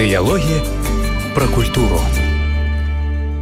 Дыялогі пра культуру.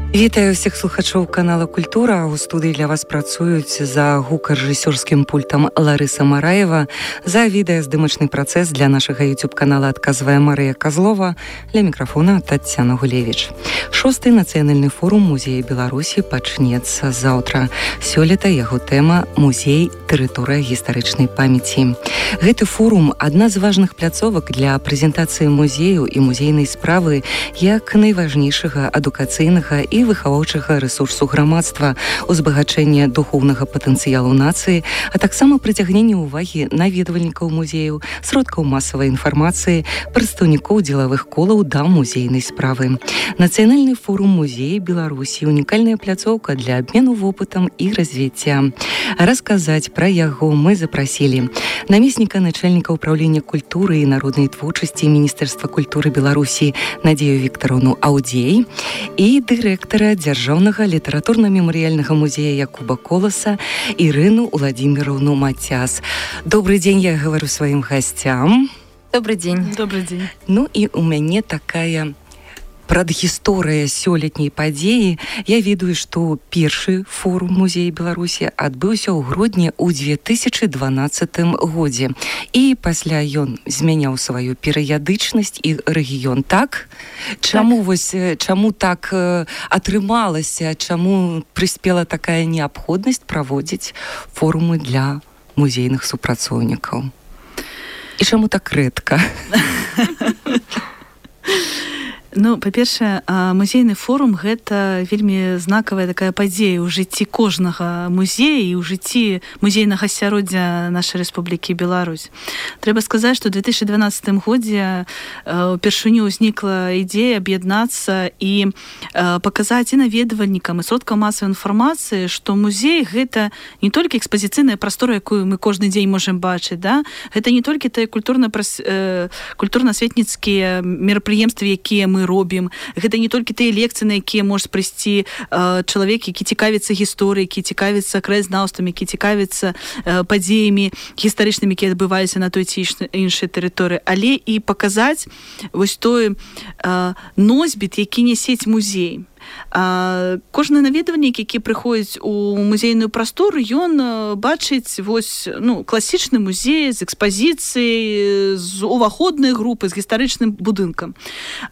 Вітаю ўсіх слухачоў канала «Культура». У студыі для вас працуюць за гукарэжысёрскім пультам Ларыса Мараева. За відэаздымачны працэс для нашага YouTube-канала адказвае Марыя Казлова. Для мікрафона Таццяна Гулевіч. 6-й нацыянальны форум музея Беларусі пачнецца заўтра. Сёлета яго тэма «Музей. Тэрыторыя гістарычнай памяці». Гэты форум – адна з важных пляцовак для прэзентацыі музею і музейнай справы як найважнейшага адукацыйнага і выхаваўчага рэсурсу грамадства, узбагачэння духоўнага патэнцыялу нацыі, а таксама прыцягнення ўвагі наведвальнікаў музеяў, сродкаў масавай інфармацыі, прадстаўнікоў дзелавых колаў да музейнай справы. Нацыянальны форум музея Беларусі – унікальная пляцоўка для абмену вопытам і развіцця. Расказаць пра яго мы запрасілі намесніка начальніка ўпраўлення культуры і народнай творчасці Міністэрства культуры Беларусі Надзею Віктараўну Аўдзей і дырэктара Дзяржаўнага літаратурна-мемарыяльнага музея Якуба Коласа Ірыну Уладзіміраўну Мацяс. Добрый дзень, я гавару сваім гасцям. Добрый дзень. Добрый дзень. Ну і у мяне такая прадгісторыя сёлетняй падзеі. Я ведаю, што першы форум музея Беларусі адбыўся ў грудні ў 2012 годзе. І пасля ён змяняў сваю перыядычнасць і рэгіён. Так? Чаму так атрымалася, чаму прыспела такая неабходнасць праводзіць форумы для музейных супрацоўнікаў? І чаму так рэдка? Ну, па-першае, музейны форум – гэта вельмі знакавая такая падзея ў жыцці кожнага музея і ў жыцці музейнага асяроддзя нашай Рэспублікі Беларусь. Трэба сказаць, што ў 2012 годзе упершыню ўзнікла ідэя аб'яднацца і паказаць і наведвальнікам, і сродкам масавай інфармацыі, што музей – гэта не толькі экспазіцыйная прастора, якую мы кожны дзень можам бачыць, да? Гэта не толькі тыя культурна-асветніцкія мерапрыемствы, якія мы робім. Гэта не толькі тыя лекцыі, на якія можа прыйсці чалавек, які цікавіцца гісторыяй, які цікавіцца краязнаўствам, які цікавіцца падзеямі гістарычнымі, якія адбываліся на той ці іншай тэрыторыі, але і паказаць вось той носьбіт, які нясець музей. Кожны наведвальнік, які прыходзіць у музейную прастору, ён бачыць класічны музей з экспазіцыяй, з уваходнай групы, з гістарычным будынкам.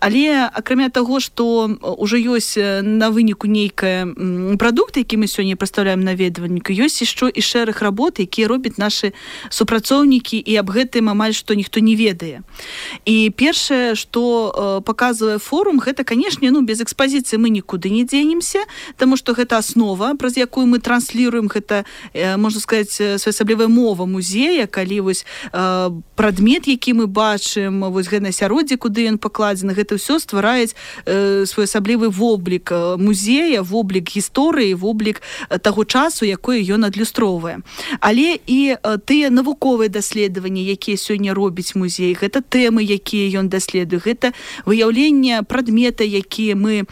Але акрамя таго, што ўжо ёсць на выніку нейкая прадукт, які мы сёння прадстаўляем наведвальніку, ёсць яшчэ і шэраг работ, якія робяць нашы супрацоўнікі, і аб гэтым амаль што ніхто не ведае. І першае, што паказвае форум, гэта, канешне, без экспазіцыі мы нікуды не дзенемся, таму што гэта аснова, праз якую мы трансліруем, гэта, можна сказаць, своеасаблівая мова музея, калі вось прадмет, які мы бачым, вось гэта асяроддзе, куды ён пакладзены, гэта ўсё ствараюць своеасаблівы воблік музея, воблік гісторыі, воблік таго часу, якое ён адлюстроўвае. Але і тыя навуковыя даследаванні, якія сёння робіць музей, гэта тэмы, якія ён даследуе, гэта выяўленне прадмета, якія мы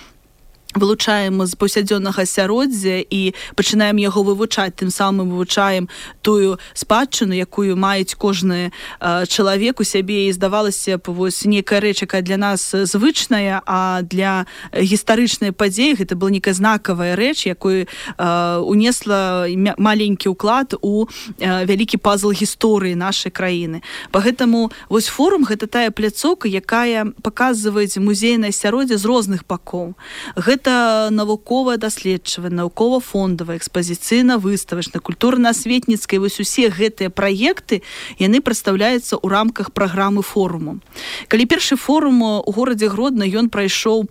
вылучаем з паўсядзённага асяроддзя і пачынаем яго вывучаць, тым самым вывучаем тую спадчыну, якую маюць кожны чалавек у сябе, і здавалася б, вось нейкая рэч, якая для нас звычная, а для гістарычнай падзеі гэта была нейкая знакавая рэч, якую унесла маленькі ўклад у вялікі пазл гісторыі нашай краіны. Пагэтаму вось форум гэта тая пляцоўка, якая паказвае музейнае асяроддзе з розных бакоў. Гэта навуковая даследчывая, навукова-фондавая, экспазіцыйна-выставачная, культурна-асветніцкая, вось усе гэтыя праекты, яны прадстаўляюцца ў рамках праграмы форуму. Калі першы форум у горадзе Гродна, ён прайшоў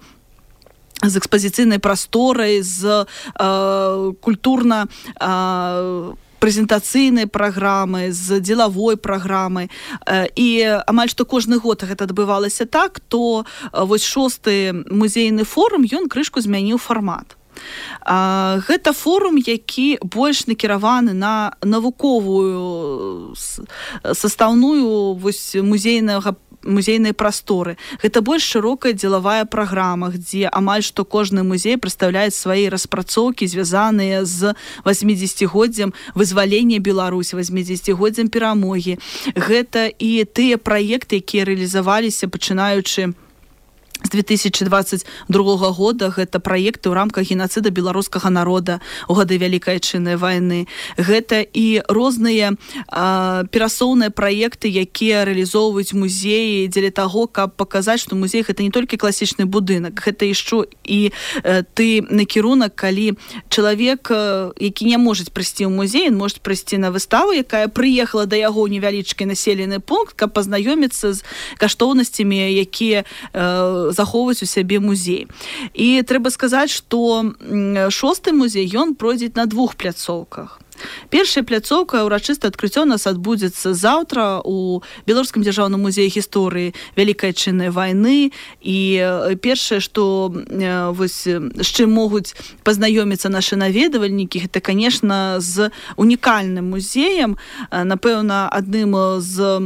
з экспазіцыйнай прасторай, з культурна прэзентацыйнай праграмы, з дзелавой праграмай. І амаль што кожны год гэта адбывалася так, то вось 6-й музейны форум, ён крышку змяніў фармат. Гэта форум, які больш накіраваны на навуковую састаўную вось музейнай прасторы. Гэта больш шырокая дзелавая праграма, дзе амаль што кожны музей прадстаўляе свае распрацоўкі, звязаныя з 80-годдзям вызвалення Беларусі, 80-годдзям перамогі. Гэта і тыя праекты, якія рэалізаваліся, пачынаючы з 2022 года гэта праекты ў рамках геноцида беларускага народа у гады Вялікай Адчыннай вайны. Гэта і розныя перасоўныя праекты, якія рэалізоўваюць музеі дзеля таго, каб паказаць, што музей гэта не толькі класічны будынак, гэта яшчэ і ты накірунак, калі чалавек, які не можа прыйсці ў музей, ён можа прыйсці на выставу, якая прыехала да яго ў невялічкі населены пункт, каб пазнаёміцца з каштоўнасцямі, якія захоўваць у сябе музей. І трэба сказаць, што 6-й музей, ён пройдзе на 2 пляцоўках. Першая пляцоўка, урачыстае адкрыццё у нас адбудзецца заўтра у Беларускім дзяржаўным музеі гісторыі Вялікай Адчыннай вайны. І першае, што вось з чым могуць пазнаёміцца нашы наведвальнікі, гэта, конечно, з унікальным музеем, напэўна, адным з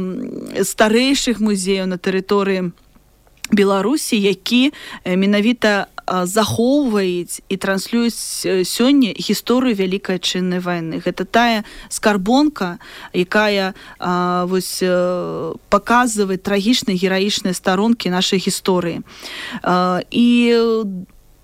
старэйшых музеяў на тэрыторыі Беларусі, які менавіта захоўваюць і транслююць сёння гісторыю Вялікай Адчыннай вайны. Гэта тая скарбонка, якая вось паказвае трагічныя гераічныя старонкі нашай гісторыі. І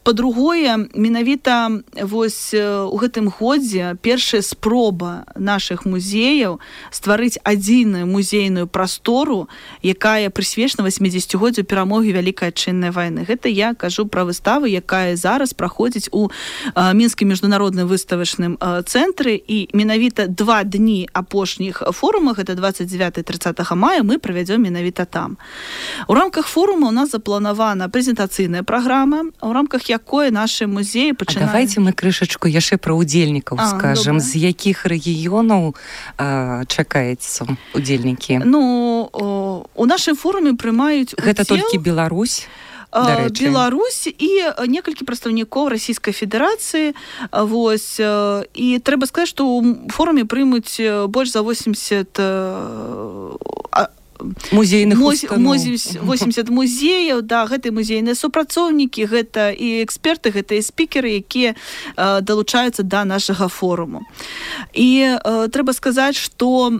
па-другое, менавіта вось у гэтым годзе першая спроба нашых музеяў стварыць адзіную музейную прастору, якая прысвечана 80-годдзю перамогі Вялікай Адчыннай вайны. Гэта я кажу пра выставу, якая зараз праходзіць у Мінскім міжнародным выставачным цэнтры, і менавіта 2 дні апошніх форума, гэта 29-30 мая, мы правядзём менавіта там. У рамках форума у нас запланавана прэзентацыйная праграма, у рамках якое нашы музеі пачынаюць... А давайте мы крышачку яшчэ пра удзельнікаў скажам. З якіх рэгіёнаў чакаецца удзельнікі? Ну, у нашым форуме прымаюць удзел... Гэта толькі Беларусь? Беларусь і некалькі прадстаўнікоў Расійскай Федэрацыі. Вось. І трэба сказаць, што ў форуме прымуць больш за 80 музейных устаноў. 80 музеяў, да, гэта музейныя супрацоўнікі, гэта і эксперты, гэта і спікеры, якія далучаюцца да нашага форуму. І трэба сказаць, што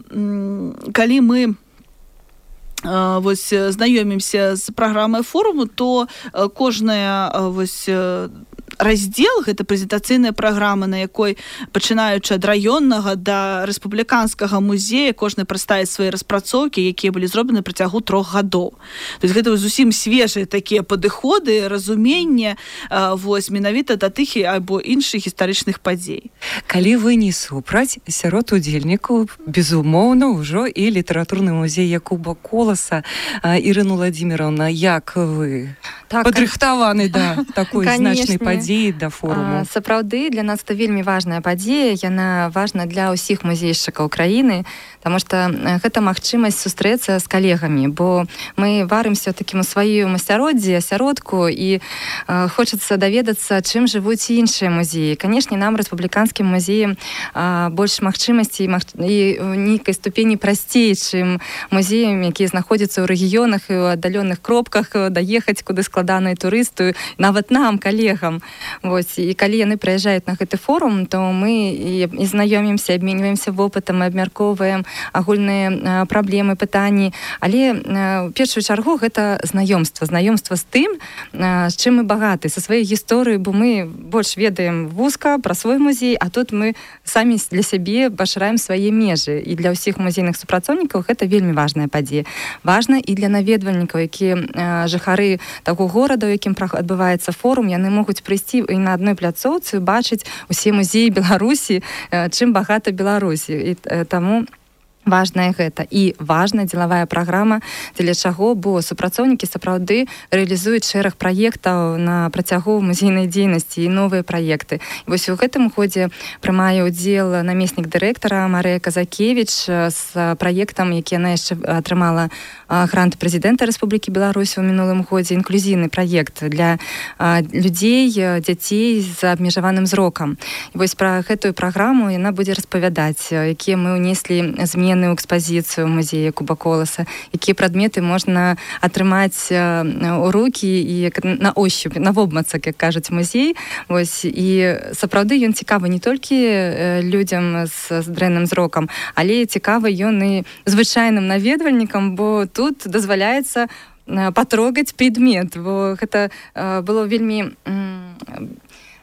калі мы вось знаёмімся з праграмай форуму, то кожная вось раздзел, гэта прэзентацыйная праграма, на якой, пачынаючы ад раённага да рэспубліканскага музея, кожны прадставіць свае распрацоўкі, якія былі зроблены на працягу 3 гадоў. То есть гэта зусім свежыя такія падыходы, разуменне вось менавіта да тых альбо іншых гістарычных падзей. Калі вы не супраць, сярод удзельнікаў, безумоўна, ўжо і літаратурны музей Якуба Коласа. Ірына Владимировна, як вы падрыхтаваны да такой значнай падзеі, да форуму? Сапраўды, для нас это вельмі важная падзея, яна важна для ўсіх музейшчыкаў краіны, потому что гэта магчымасць сустрэцца з калегамі, бо мы варымся такім у сваім асяроддзі, асяродку, і хочацца даведацца, чым жывуць іншыя музеі. Канешне, нам, рэспубліканскім музеям, больш магчымасцей і ў нейкай ступені прасцей, чым музеям, якія знаходзяцца ў рэгіёнах і ў аддаленых кропках, даехаць куды складана і турысту, нават нам, калегам. Вось. І калі яны прыязджаюць на гэты форум, то мы і знаёмімся, абменьваемся вопытам, абмяркоўваем агульныя праблемы, пытанні. Але ў першую чаргу гэта знаёмства з тым, з чым мы багаты, са сваёй гісторыі, бо мы больш ведаем вузка пра свой музей, а тут мы самі для сябе пашыраем свае межы. І для ўсіх музейных супрацоўнікаў гэта вельмі важная падзея. Важна і для наведвальнікаў, якія жыхары таго горада, у якім адбываецца форум, яны могуць прыйсці і на адной пляцоўцы бачыць усе музеі Беларусі, чым багата Беларусі. І таму важная гэта. І важная дзелавая праграма, дзеля чаго, бо супрацоўнікі сапраўды рэалізуюць шэраг праектаў на працягу музейнай дзейнасці і новыя праекты. І вось у гэтым годзе прымае ўдзел намеснік дырэктара Марыя Казакевіч з праектам, які яна яшчэ атрымала грант прэзідэнта Рэспублікі Беларусь у мінулым годзе, інклюзійны праект для людзей, дзяцей з абмежаваным зрокам. І вось пра гэтую праграму яна будзе распавядаць, якія мы ўнеслі змены ў экспазіцыю музея Якуба Коласа, якія прадметы можна атрымаць у рукі і на ощупь, на вобмацак, як кажуць музей. Вось. І сапраўды ён цікавы не толькі людзям з дрэнным зрокам, але цікавы ён і звычайным наведвальнікам, бо тут дазваляецца патрогаць предмет, бо гэта было вельмі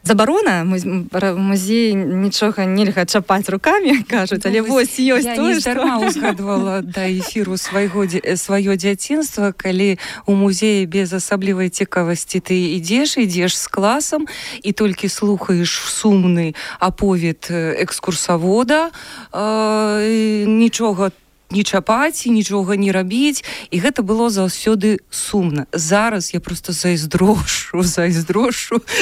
забарона, музей нічога нельга чапаць рукамі, кажуць, але вось ёсць тое, што... Я не дарма узгадвала да эфіру сваё дзяцінства, калі у музеі без асаблівай цікавасці ты ідзеш з класам і толькі слухаеш сумны аповед экскурсавода, нічога не чапаць, нічога не рабіць, і гэта было заўсёды сумна. Зараз я просто зайздрошу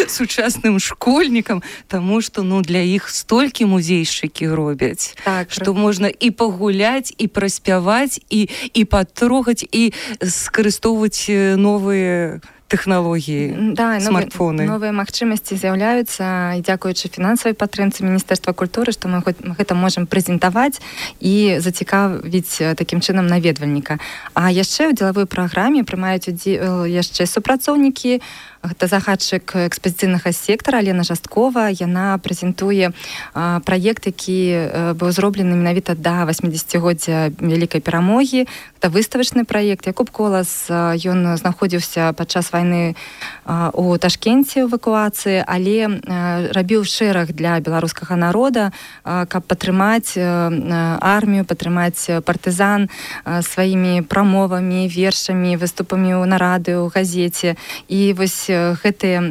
сучасным школьнікам, таму што для іх столькі музейшчыкі робяць, што можна і пагуляць, і праспяваць, і патрогаць, і скарыстоўваць новыя тэхналогіі, смартфоны. Новыя магчымасці з'яўляюцца, і дзякуючы фінансавай падтрымцы Міністэрства культуры, што мы гэта можам прэзентаваць і зацікавіць такім чынам наведвальніка. А яшчэ ў дзелавой праграме прымаюць удзел яшчэ супрацоўнікі. Гэта загадчык экспазіцыйнага сектара Алена Жасткова. Яна прэзентуе праект, які быў зроблены менавіта да 80-годдзя Вялікай перамогі. Гэта выставачны праект. Якуб Колас, ён знаходзіўся падчас вайны у Ташкенце ў эвакуацыі, але рабіў шэраг для беларускага народа, каб падтрымаць армію, падтрымаць партызан сваімі прамовамі, вершамі, выступамі ў нарады, ў газеце. І вось гэтыя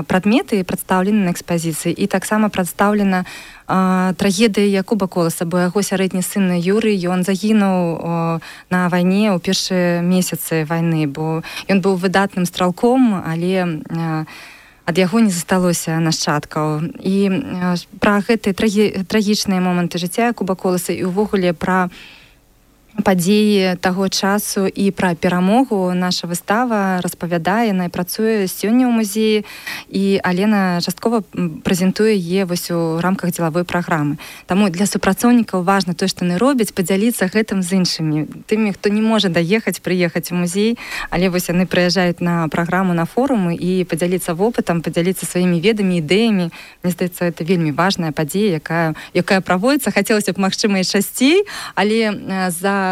прадметы прадстаўлены на экспазіцыі, і таксама прадстаўлена трагедыя Якуба Коласа, бо яго сярэдні сын Юрый, ён загінуў на вайне ў першыя месяцы вайны, бо ён быў выдатным стралком, але ад яго не засталося нашчадкаў. І пра гэтыя трагічныя моманты жыцця Якуба Коласа і ўвогуле пра падзеі таго часу і пра перамогу наша выстава распавядае, яна працуе сёння ў музеі, і Алена Жасткова прэзентуе яе вось у рамках дзелавой праграмы. Таму для супрацоўнікаў важна тое, што яны робяць, падзяліцца гэтым з іншымі, тымі, хто не можа прыехаць у музей, але вось яны прыязджаюць на праграму, на форумы і падзяліцца вопытам, падзяліцца сваімі ведамі, ідэямі. Мне здаецца, гэта вельмі важная падзея, якая праводзіцца. Хацелася б, магчыма, і часцей, але за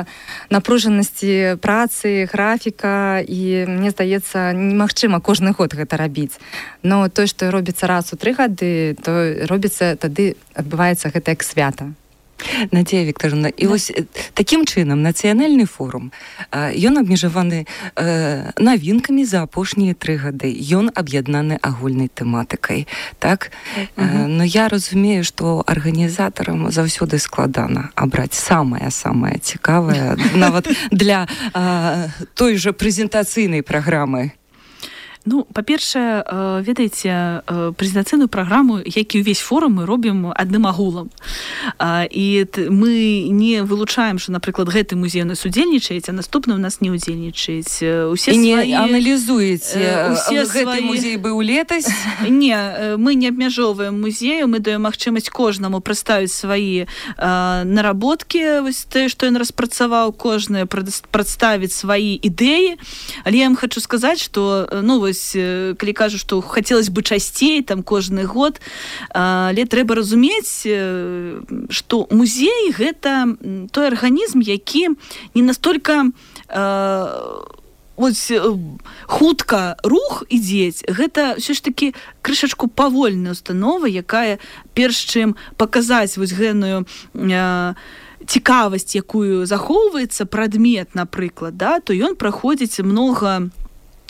напружанасці працы, графіка, і мне здаецца, немагчыма кожны год гэта рабіць. Но тое, што робіцца раз у 3 гады, то робіцца, тады адбываецца гэта як свята. Надзея Вікторовна, і вось такім чынам нацыянальны форум, ён абмежаваны навінкамі за апошнія 3 гады. Ён аб'яднаны агульнай тэматыкай, так? Но я разумею, што арганізатарам заўсёды складана абраць самае-самае цікавае, нават для той жа прэзентацыйнай праграмы. Ну, па-першае, ведаеце, прэзентацыйную праграму, як і ўвесь форум, мы робім адным агулам. І мы не вылучаем, што, напрыклад, гэты музей у нас удзельнічаеце, а наступны у нас не удзельнічаеце. І не аналізуеце, гэты музей быў летась? Не, мы не абмяжоўваем музею, мы даем магчымасць кожнаму прадставіць свае наработкі, вось тое, што ён распрацаваў, кожны прадставіць свае ідэі. Але я вам хочу сказаць, што, ну, вось, калі кажу, што хацелось бы часцей, там, кожны год, але трэба разумець, што музей — гэта той арганізм, які не настолькі хутка рух ідзець. Гэта ўсё ж такі крышачку павольная установа, якая перш чым паказаць вось гэную цікавасць, якую захоўваецца прадмет, напрыклад, да, то ён праходзіць многа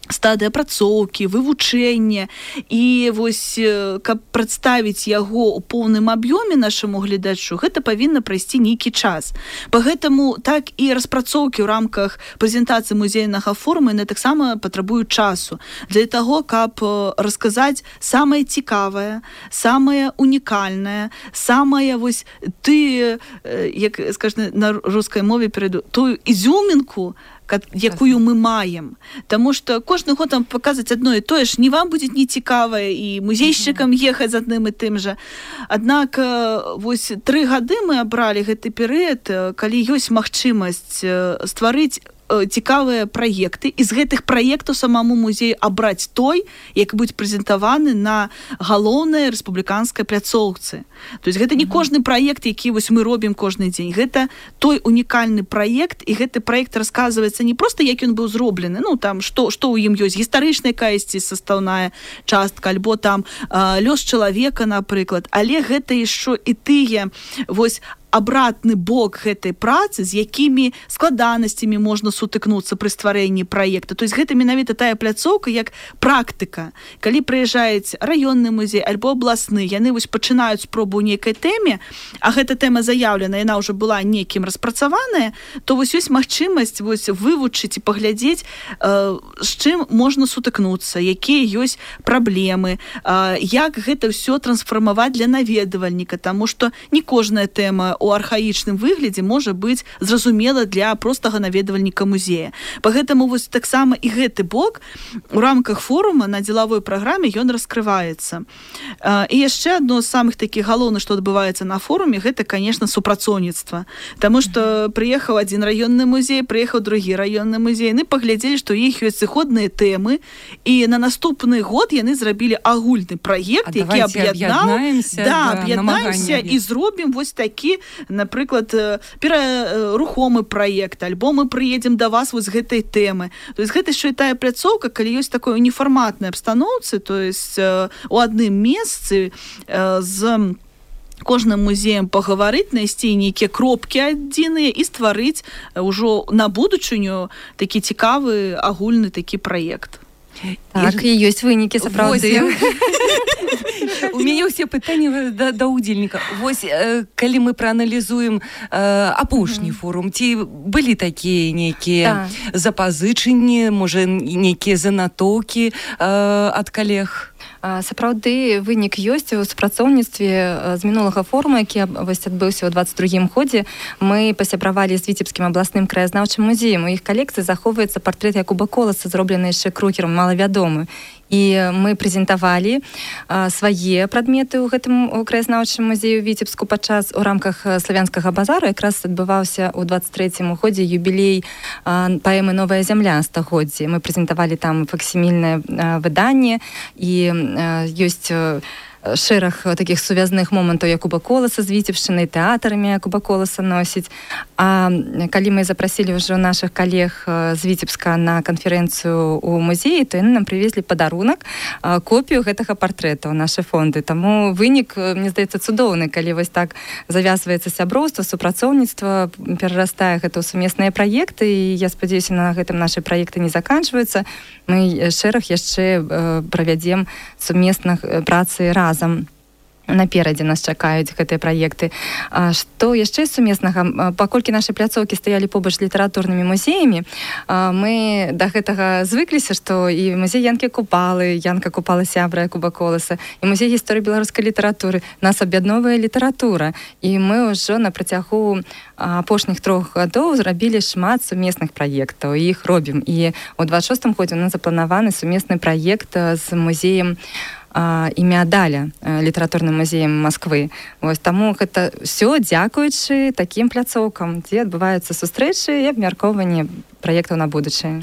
стадыі апрацоўкі, вывучэння, і вось каб прадставіць яго ў поўным аб'ёме нашаму гледачу, гэта павінна прайсці нейкі час. Пагэтаму так і распрацоўкі ў рамках прэзентацыі музейнага форума яны таксама патрабуюць часу для таго, каб расказаць самае цікавае, самае унікальнае, самае вось як скажна на рускай мове перайду, тую ізюмінку, якую мы маем. Таму што кожны год там паказаць адно і тое ж, не вам будзе не цікавае і музейшчыкам ехаць з адным і тым жа. Аднак вось 3 гады мы абралі гэты перыяд, калі ёсць магчымасць стварыць цікавыя праекты, і з гэтых праектаў самому музею абраць той, які будзе прэзентаваны на галоўнай рэспубліканскай пляцоўцы. То есть гэта не кожны праект, які вось мы робім кожны дзень. Гэта той унікальны праект, і гэты праект расказваецца не проста, як ён быў зроблены, ну, там, што ў ім ёсць, гістарычная якаясьці састаўная частка, альбо там лёс чалавека, напрыклад, але гэта яшчэ і тыя, вось, абратны бок гэтай працы, з якімі складанасцямі можна сутыкнуцца пры стварэнні праекта. То есть гэта менавіта тая пляцоўка, як практыка. Калі прыязджаюць раённы музей альбо абласны, яны вось пачынаюць спробу ў нейкай тэме, а гэта тэма заяўлена, яна ўжо была некім распрацаваная, то вось ёсць магчымасць вось вывучыць і паглядзець, з чым можна сутыкнуцца, якія ёсць праблемы, як гэта ўсё трансфармаваць для наведвальніка, таму што не кожная тэма у архаічным выглядзе можа быць зразумела для простага наведвальніка музея. Пагэтаму вось таксама і гэты бок у рамках форума на дзелавой праграме ён раскрываецца. І яшчэ адно з самых такіх галоўных, што адбываецца на форуме, гэта, конечно, супрацоўніцтва. Таму што прыехаў адзін раённы музей, прыехаў другі раённы музей, яны паглядзелі, што ў іх ёсць сыходныя тэмы, і на наступны год яны зрабілі агульны праект, які аб'яднаемся і зробім вось такі, напрыклад, рухомы праект, альбо мы прыедзем да вас вось гэтай тэмы. То есть гэта яшчэ тая пляцоўка, калі ёсць такой уніфарматнай абстаноўцы, то есть у адным месцы з кожным музеем пагаварыць, знайсці нейкія кропкі адзіныя і стварыць ўжо на будучыню такі цікавы агульны такі праект. Так, і ёсць вынікі, сапраўды. У мяне ўсе пытанні да ўдзельніка. Вось, калі мы прааналізуем апошні форум, ці былі такія нейкія запазычанні, можа, нейкія занатоўкі ад калег? Сапраўды вынік ёсць у супрацоўніцтве з мінулага форума, які адбыўся ў 22-м годзе. Мы пасябравалі з Віцебскім абласным краязнаўчым музеем. У іх калекцыі захоўваецца партрэт Якуба Коласа, зроблены яшчэ Крукерам, малавядомы. І мы прэзентавалі свае прадметы ў гэтым краязнаўчым музею Віцебску у рамках славянскага базару. Якраз адбываўся ў 23-м годзе юбілей паэмы «Новая зямля» стагоддзя. Мы прэзентавалі там факсімільнае выданне, і ёсць шэраг такіх сувязных момантаў Якуба Коласа з Віцебшчынай, тэатрамі Якуба Коласа носіць. А калі мы запрасілі ўжо нашых калег з Віцебска на канферэнцыю ў музеі, то яны нам прывезлі падарунак, копію гэтага партрэта ў нашы фонды. Таму вынік, мне здаецца, цудоўны, калі вось так завязваецца сяброўства, супрацоўніцтва, перарастае гэта ў сумесныя праекты, і я спадзяюся, на гэтым нашы праекты не заканчваюцца. Мы шэраг яшчэ правядзем сумесных працы разам. Наперадзе нас чакаюць гэтыя праекты. Што яшчэ сумеснага? Паколькі нашы пляцоўкі стаялі побач з літаратурнымі музеямі, мы да гэтага звыкліся, што і музей Янкі Купалы, Янка Купала сябра Якуба Коласа, і музей гісторыі беларускай літаратуры. Нас аб'ядноўвае літаратура. І мы ўжо на працягу апошніх 3 гадоў зрабілі шмат сумесных праектаў, і іх робім. І ў 26-м годзе у нас запланаваны сумесны праект з музеем імя Даля, літаратурным музеем Масквы. Вось, таму гэта ўсё дзякуючы такім пляцоўкам, дзе адбываюцца сустрэчы і абмяркоўванне праектаў на будучае.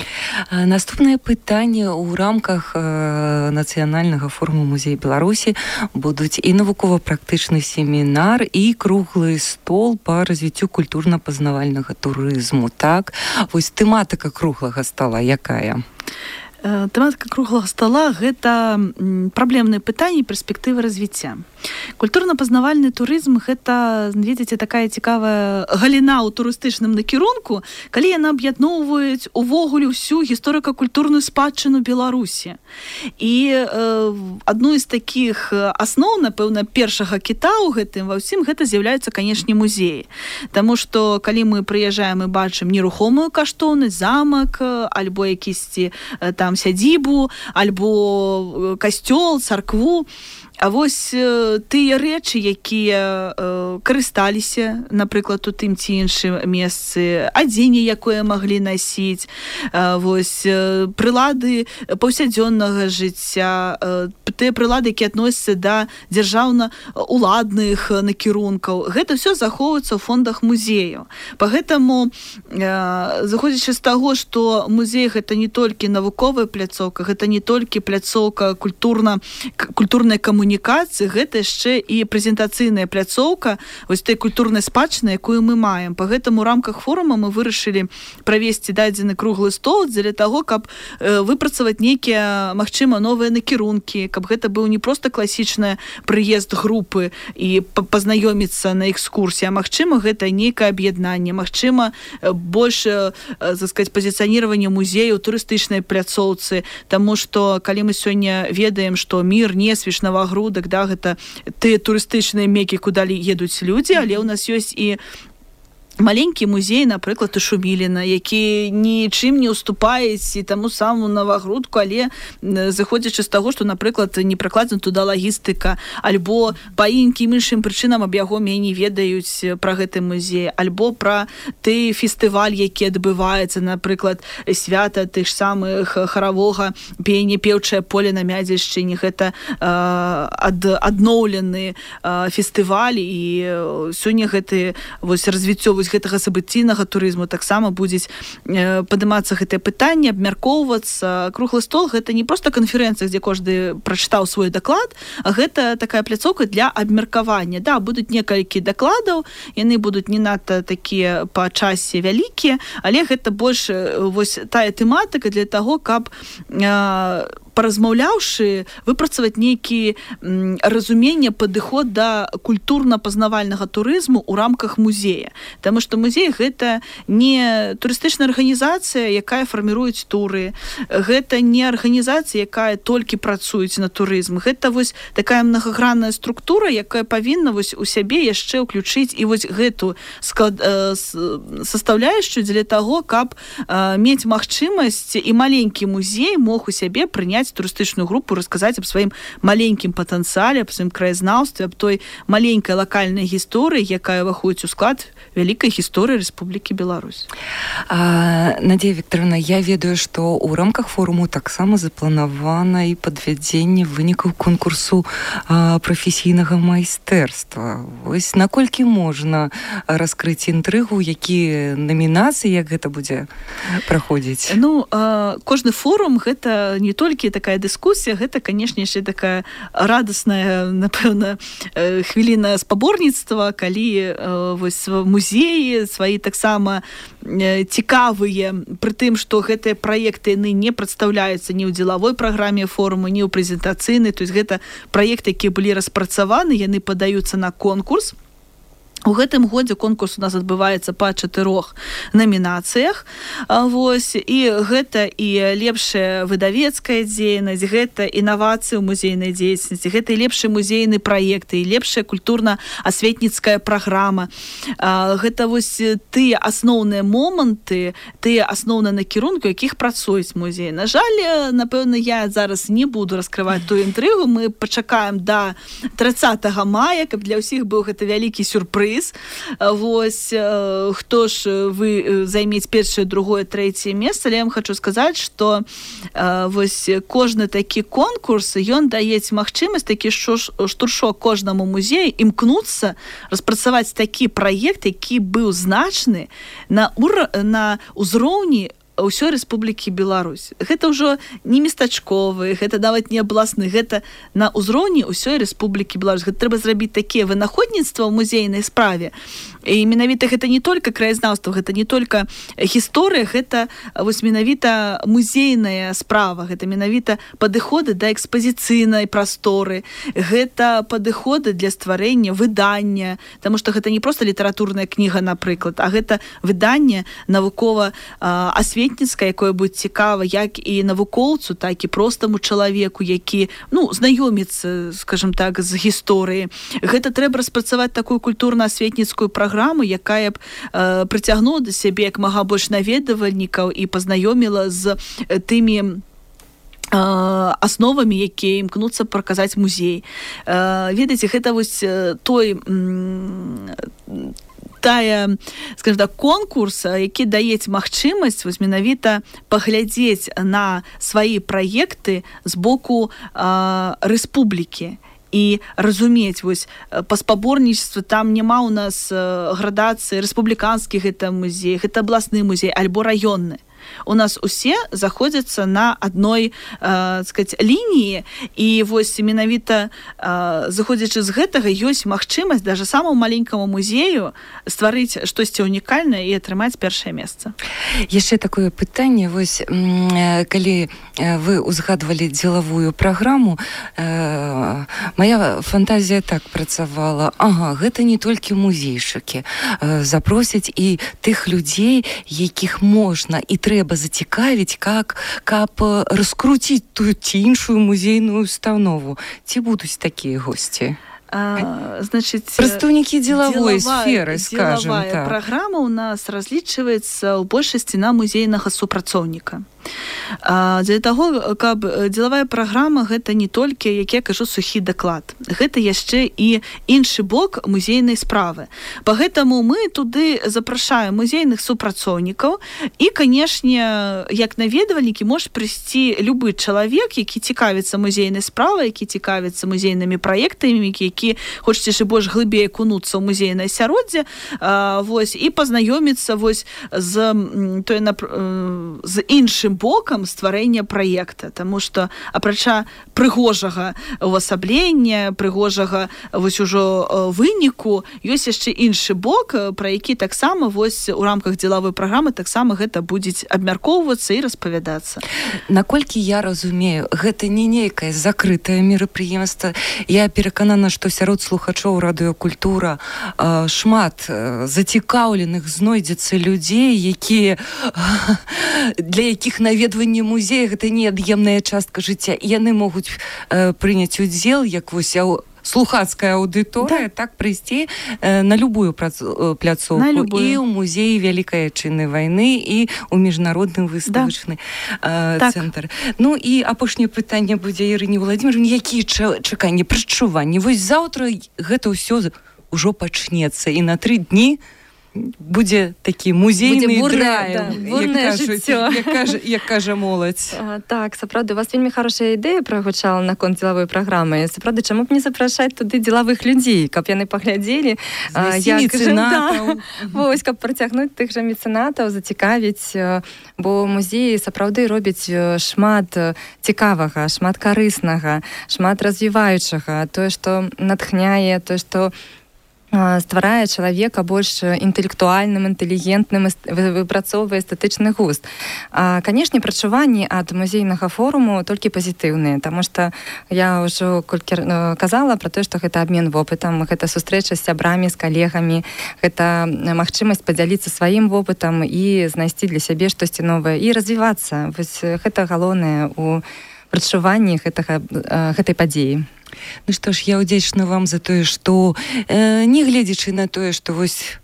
Наступнае пытанне. У рамках нацыянальнага форуму музея Беларусі будуць і навукова-практычны семінар, і круглы стол па развіццю культурна-пазнавальнага турызму. Так? Вось тэматыка круглага стола якая? Тэматыка круглага стола – гэта праблемныя пытанні і перспектывы развіцця. Культурна-пазнавальны турызм – гэта, видите, такая цікавая галіна ў турыстычным накірунку, калі яна аб'ядноўваюць увогуле ўсю гісторыка-культурную спадчыну Беларусі. І адной з такіх асноў, напэўна, першага кіта ў гэтым ва ўсім гэта з'яўляюцца, канешне, музеі. Таму што калі мы прыязджаем і бачым нерухомую каштоўнасць, замак, альбо якісьці там сядзібу, альбо касцёл, царкву, А вось тыя рэчы, якія карысталіся, напрыклад, у тым ці іншым месцы, адзенне, якое маглі насіць, вось прылады паўсядзённага жыцця, тыя прылады, якія адносяцца да дзяржаўна-уладных накірункаў. Гэта ўсё захоўваецца ў фондах музеяў. Пагэтаму, заходзячы з таго, што музей гэта не толькі навуковая пляцоўка, гэта не толькі пляцоўка культурнай камунікацыі, гэта яшчэ і прэзентацыйная пляцоўка вось той культурнай спадчыны, якую мы маем. Пагэтаму у рамках форума мы вырашылі правесці дадзены круглы стол дзеля таго, каб выпрацаваць нейкія, магчыма, новыя накірункі, каб гэта быў не проста класічны прыезд групы і пазнаёміцца на экскурсіі, а магчыма, гэта нейкае аб'яднанне, магчыма, больш, так сказаць, пазіцыяніраванне музею ў турыстычнай пляцоўцы, таму што калі мы сёння ведаем, што Мір, Несвіж, Навагрудак, да, гэта тыя турыстычныя мекі, куды едуць людзі, але ў нас ёсць і маленькі музей, напрыклад, у Шуміліна, які нічым не уступаюць і таму саму Навагрудку, але заходзячы з таго, што, напрыклад, не пракладзена туда лагістыка, альбо па інкім іншым прычынам аб яго меней ведаюць пра гэты музей, альбо пра той фестываль, які адбываецца, напрыклад, свята тых самых харавога пеяння «Пеўчае поле» на Мядзельшчыне. Гэта адноўлены фестываль, і сёння гэты вось развіццё гэтага сабыційнага турызму таксама будзе падымацца гэтае пытанне, абмяркоўвацца. Круглы стол — гэта не проста канферэнцыя, дзе кожны прачытаў свой даклад, а гэта такая пляцоўка для абмеркавання. Да, будуць некалькі дакладаў, яны будуць не надта такія па часе вялікія, але гэта больш вось тая тэматыка для таго, каб паразмаўляўшы, выпрацаваць нейкі разуменне, падыход да культурна-пазнавальнага турызму ў рамках музея. Таму што музей — гэта не турыстычная арганізацыя, якая фарміруюць туры, гэта не арганізацыя, якая толькі працуюць на турызм. Гэта вось такая мнагагранная структура, якая павінна вось у сябе яшчэ ўключыць і вось гэту састаўляючую дзеля таго, каб мець магчымасць і маленькі музей мог у сябе прыняць турыстычную групу, расказаць аб сваім маленькім патэнцыяле, аб сваім краязнаўстве, аб той маленькай лакальнай гісторыі, якая ўваходзіць у склад вялікай гісторыі Рэспублікі Беларусь. Надзея Вікторовна, я ведаю, што ў рамках форуму таксама запланавана і падвядзенне вынікаў конкурсу прафесійнага майстэрства. Вось наколькі можна раскрыць інтрыгу, якія намінацыі, як гэта будзе праходзіць? Ну, кожны форум — гэта не толькі такая дыскусія, гэта, канешне, яшчэ такая радасная, напэўна, хвіліна спаборніцтва, калі вось музеі свае таксама цікавыя, пры тым, што гэтыя праекты яны не прадстаўляюцца ні ў дзелавой праграме форуму, ні ў прэзентацыйнай, то есть гэта праекты, якія былі распрацаваны, яны падаюцца на конкурс. У гэтым годзе конкурс у нас адбываецца па 4 намінацыях. Вось, і гэта і лепшая выдавецкая дзейнасць, гэта інавацыі ў музейнай дзейнасці, гэта і лепшыя музейныя праекты, і лепшая культурна-асветніцкая праграма. Гэта вось тыя асноўныя моманты, тыя асноўныя накірункі, якіх працуюць музей. На жаль, напэўна, я зараз не буду раскрываць тую інтрыгу. Мы пачакаем да 30 мая, каб для ўсіх быў гэта вялікі сюрпрыз. Вось, хто ж вы займець першае, другое, трэцяе месца, але я вам хочу сказаць, што вось кожны такі конкурс, ён дае магчымасць, такі штуршок кожнаму музею імкнуцца распрацаваць такі праект, які быў значны на ўзроўні ўсёй Рэспублікі Беларусь. Гэта ўжо не местачковы, гэта нават не абласны, гэта на ўзроўні ўсёй Рэспублікі Беларусь. Гэта трэба зрабіць такія вынаходніцтва ў музейнай справе. І менавіта гэта не толькі краязнаўства, гэта не толькі гісторыя, гэта вось менавіта музейная справа, гэта менавіта падыходы да экспазіцыйнай прасторы, гэта падыходы для стварэння выдання, таму што гэта не проста літаратурная кніга, напрыклад, а гэта выданне навукова-асветніцкае, якое будзе цікава як і навукоўцу, так і простаму чалавеку, які, знаёміцца, скажем так, з гісторыяй. Гэта трэба распрацаваць такую культурна-асветніцкую праграму, якая б прыцягнула да сябе як мага больш наведвальнікаў і пазнаёміла з тымі асновамі, якія імкнуцца праказаць музей. Ведаеце, гэта вось скажем так, конкурс, які даецца магчымасць вось менавіта паглядзець на свае праекты з боку рэспублікі і разумець, вось па спаборніцтву там няма ў нас градацыі рэспубліканскі гэта музей, гэта абласны музей альбо раённы. У нас усе заходзяцца на адной лініі, і вось менавіта заходзячы з гэтага ёсць магчымасць даже самому маленькаму музею стварыць штосьці унікальнае і атрымаць першае месца. Яшчэ такое пытанне, вось калі вы узгадвалі дзелавую праграму, моя фантазія так працавала: ага, гэта не толькі музейшыкі, запросяць і тых людзей, якіх можна і трэба зацікавіць, каб раскруціць тую ці іншую музейную установу. Ці будуць такія госці? Значит, прадстаўнікі дзелавой сферы, скажем так. Дзелавая праграма у нас разлічваецца ў большасці на музейнага супрацоўніка. Для таго, каб дзелавая праграма гэта не толькі, як я кажу, сухі даклад. Гэта яшчэ і іншы бок музейнай справы. Па гэтаму мы туды запрашаем музейных супрацоўнікаў і, канешне, як наведвальнікі можа прыйсці любы чалавек, які цікавіцца музейнай справай, які цікавіцца музейнымі праектамі, які хочаце ж больш глыбей акунуцца ў музейнае асяроддзе, вось, і пазнаёміцца вось з іншым бокам стварэння праекта, таму што апрача прыгожага увасаблення, прыгожага вось ужо выніку, ёсць яшчэ іншы бок, пра які таксама вось у рамках дзелавой праграмы таксама гэта будзе абмяркоўвацца і распавядацца. Наколькі я разумею, гэта не нейкае закрытае мерапрыемства. Я пераканана, што сярод слухачоў радыёкультура шмат зацікаўленых знойдзецца людзей, якія для якіх наведванне музея гэта неад'емная частка жыцця. Яны могуць прыняць удзел, як вось слухацкая аўдыторыя, так прыйсці на любую пляцоўку, і ў музеі Вялікай Адчыннай вайны, і ў міжнародны выставачны цэнтр. Ну і апошняе пытанне будзе Ірыне Владимировне: якія чаканні, прадчуванні? Вось заўтра гэта ўсё ўжо пачнецца, і на 3 дні будзе такі музейны драйв, як кажа моладзь. Так, сапраўды, у вас вельмі хорошая ідэя прагучала наконт дзелавой праграмы. Сапраўды, чаму б не запрашаць туды дзелавых людзей, каб яны паглядзелі, вось, каб працягнуць тых жа мецэнатаў, зацікавіць, бо музеі сапраўды робяць шмат цікавага, шмат карыснага, шмат развіваючага, тое, што натхняе, тое, што стварае чалавека больш інтэлектуальным, інтэлігентным, выпрацоўвае эстэтычны густ. Канешне, прачуванні ад музейнага форуму толькі пазітыўныя, таму што я ўжо колькі казала пра тое, што гэта абмен вопытам, гэта сустрэча з сябрамі, з калегамі, гэта магчымасць падзяліцца сваім вопытам і знайсці для сябе штосьці новае і развівацца. Вось гэта галоўнае ў прачуванні гэтай падзеі. Ну што ж, я ўдзячна вам за тое, што нягледзячы на тое, што вось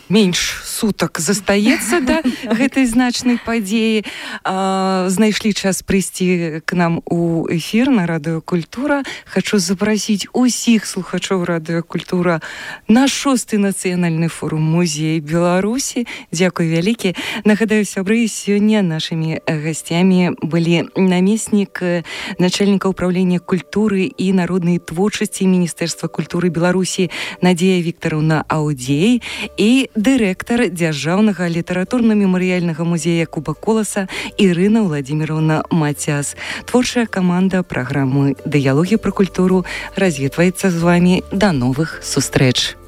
менш сутак застаецца да гэтай значнай падзеі, знайшлі час прыйсці к нам у эфір на радыёкультура. Хачу запрасіць усіх слухачоў радыёкультура на 6-й нацыянальны форум музея Беларусі. Дзякуй вялікі. Нагадаю, сябры, сёння нашымі гасцямі былі намеснік начальніка ўправлення культуры і народнай творчасці Міністэрства культуры Беларусі Надзея Віктараўна Аўдзей і дырэктар дзяржаўнага літаратурна-мемарыяльнага музея Куба Коласа Ірына Владимировна Мацяс. Творчая каманда праграмы «Дыялогі пра культуру» развітваецца з вамі. Да новых сустрэч.